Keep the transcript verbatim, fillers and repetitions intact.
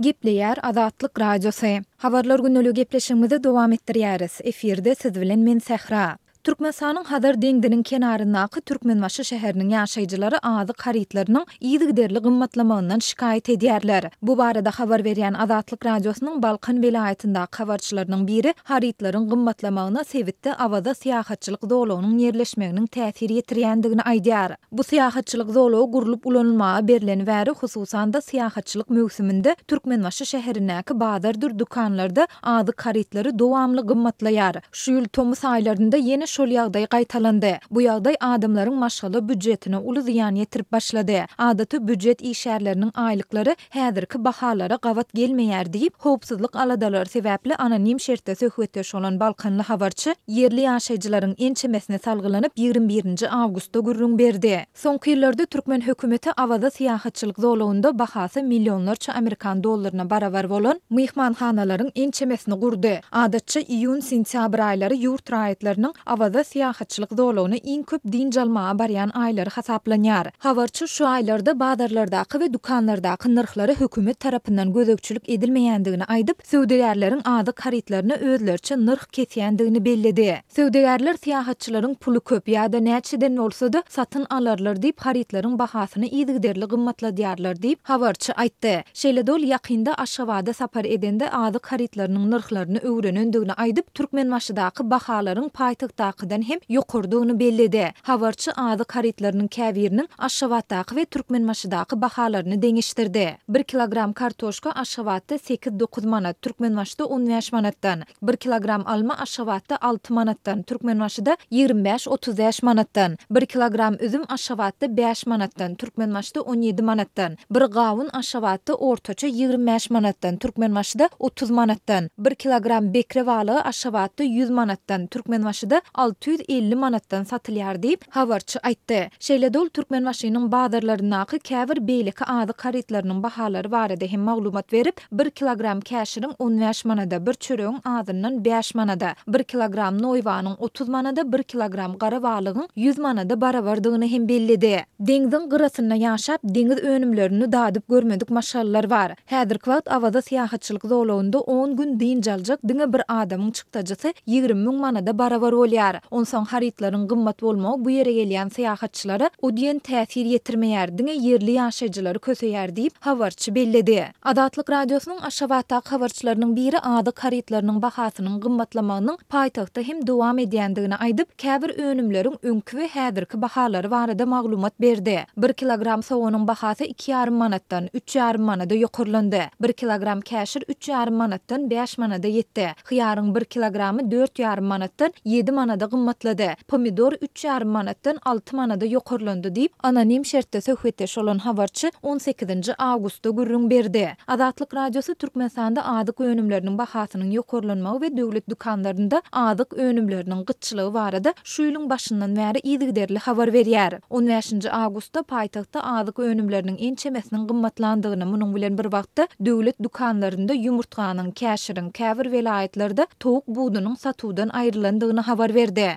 Gepleýär Azatlyk Radiosy. Habarlar gündeligi gepleşigimizi dowam etdirýäris. Efirde siz bilen men Sähra. Türkmenistanyň Hazar deňziniň kenaryndaky Türkmenbaşy şäheriniň ýaşaýjylary azyk harytlarynyň yzygiderli gymmatlamagyndan şikaýat edýärler. Bu barada habar berýän Azatlyk Radiosynyň Balkan welaýatyndaky habarçylarynyň biri harytlaryň gymmatlamagyna sebitde Awaza syýahatçylyk zolagynyň ýerleşmeginiň täsir ýetirýändigini aýdýar. Bu syýahatçylyk zolagy gurlup ulanylmaga berleni bäri, hususan-da syýahatçylyk möwsüminde Türkmenbaşy şäherindäki bazardyr dükanlarda azyk harytlary dowamly gymmatlaýar. Şu ýyl tomus aýlarynda ýene şol ýagdaý gaýtalandy. Bu ýagdaý adamlaryň maşgala býujetine uly zyýan ýetirip başlady. Adaty býujet işgärleriniň aýlyklary häzirki bahalara gabat gelmeýär diýip, howpsuzlyk aladalary sebäpli anonim şertde söhbetdeş bolan balkanly habarçy ýerli ýaşaýjylaryň ençemesine salgylanyp, ýigrimi birinji awgustda gürrüň berdi. Soňky ýyllarda türkmen hökümeti Awaza syýahatçylyk zolagynda bahasy millionlarça amerikan dollaryna barabar bolan myhmanhanalaryň ençemesini gurdy. Adatça iýun-sentýabr aýlary ýurt raýatlarynyň Awaza syýahatçylyk zolagyna iň köp dynç almaga barýan aýlary hasaplanýar. Habarçy şu aýlarda bazarlardaky we dükanlardaky nyrhlara hökümet tarapyndan gözegçilik edilmeýändigini aýdyp, söwdagärleriň azyk harytlaryna özleriçe nyrh kesýändigini belledi. Söwdagärler syýahatçylaryň puly köp ýa-da näçeden bolsa-da satyn alarlar diýip, harytlaryň bahasyny yzygiderli gymmatladýarlar diýip, habarçy aýtdy. Şeýle-de ol ýakynda Aşgabada sapar edende azyk harytlarynyň nyrhlaryny öwrenendigini aýdyp, Türkmenbaşydaky bahalaryň paýtagtdakydan hem ýokarydygyny belledi. Habarçy azyk harytlarynyň käbiriniň Aşgabatdaky we Türkmenbaşydaky bahalaryny deňeşdirdi. Bir kilogram kartoşka Aşgabatda sekiz-dokuz manat, Türkmenbaşyda on bäş manatdan, bir kilogram alma Aşgabatda alty manatdan, Türkmenbaşyda ýigrimi bäş-otuz bäş manatdan, bir kilogram üzüm Aşgabatda bäş manatdan, Türkmenbaşyda on ýedi manatdan, bir gawun Aşgabatda ortaça ýigrimi bäş manatdan, Türkmenbaşyda otuz manatdan, bir kilogram bekre balygy Aşgabatda ýüz manatdan, Türkmenbaşyda alty ýüz elli manatdan satylýar diýip, habarçy aýtdy. Şeýle-de ol Türkmenbaşynyň bazarlaryndaky käbir beýleki azyk harytlarynyň bahalary barada hem maglumat berip, bir kilogram käşiriň on bäş manada, bir çöregiň azyndan bäş manada, bir kilogram noýbanyň otuz manada, bir kilogram gara balygyň ýüz manada barabardygyny hem belledi. Deňziň gyrasynda ýaşap, deňiz önümlerini dadyp görmedik maşgalalar bar. Häzirki wagt Awaza syýahatçylyk zolagynda on gün dynç aljak diňe bir adamyň çykdajysy ýigrimi müň manada barabar bolýar. Onsoň harytlaryň gymmat bolmagy bu ýere gelýän syýahatçylara o diýen täsir ýetirmeýär, diňe ýerli ýaşaýjylary köseýär diýip, habarçy belledi. Azatlyk Radiosynyň Aşgabatdaky habarçylarynyň biri azyk harytlarynyň bahasynyň gymmatlamagynyň paýtagtda hem dowam edýändigini aýdyp, käbir önümleriň öňki we häzirki bahalary barada maglumat berdi. Bir kilogram soganyň bahasy iki ýarym manatdan, üç ýarym manada ýokarlandy. Bir kilogram käşir üç ýarym manatdan bäş manada ýetdi. Hyýaryň bir kilogramy dört ýarym manatdan ýedi manada gymmatlady. Pomidor üç ýarym manatdan alty manada ýokarlandy diýip, anonim şertde söhbetdeş bolan habarçy on sekizinji awgustda gürrüň berdi. Azatlyk Radiosy Türkmenistanda azyk önümleriniň bahasynyň ýokarlanmagy we döwlet dükanlarynda azyk önümleriniň gytçylygy barada şu ýylyň başyndan bäri yzygiderli habar berýär. On bäşinji awgustda paýtagtda azyk önümleriniň ençemesiniň gymmatlandygyny, munuň bilen bir wagtda döwlet dükanlarynda ýumurtganyň, käşiriň, käbir welaýatlarda towuk budunyň satuwdan aýrylandygyny habar berdi.